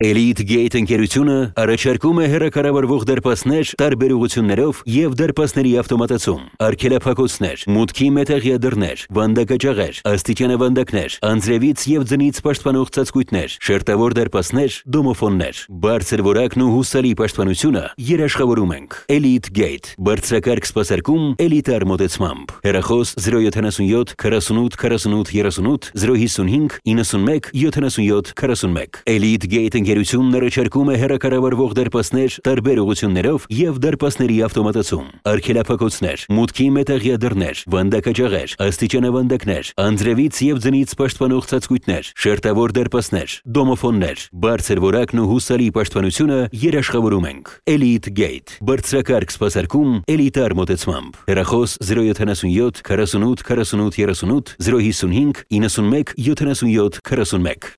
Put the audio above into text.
Elite Gate ընկերությունը առաջարկում է հեռակառավարվող դարպասներ տարբեր ուղղություններով եւ դարպասների ավտոմատացում, արգելափակոցներ, մուտքի մետաղյա դռներ, վանդակաճաղեր, աստիճանավանդակներ, անձրևից եւ ձնից պաշտպանող ծածկույթներ, շերտավոր դարպասներ, դոմոֆոններ, բարձր որակն ու հուսալի պաշտպանությունը երաշխավորում ենք։ Elite Gate բարձրակարգ սպասարկում էլիտար մոտեցմամբ։ Հեռախոս 077 48 48 38 055 91 77 41 Elite Gate ընկերությունն առաջարկում է հեռակառավարվող դարպասներ տարբեր ուղղություններով եւ դարպասների ավտոմատացում, արգելափակոցներ, մուտքի մետաղյա դռներ, վանդակաճաղեր, աստիճանավանդակներ, անձրևից եւ ձնից պաշտպանող ծածկույթներ, շերտավոր դարպասներ, դոմոֆոններ, բարձր որակն ու հուսալի պաշտպանությունը երաշխավորում ենք։ Elite Gate բարձրակարգ սպասարկում էլիտար մոտեցմամբ։ Հեռախոս 077 48 48 38 055 91 77 41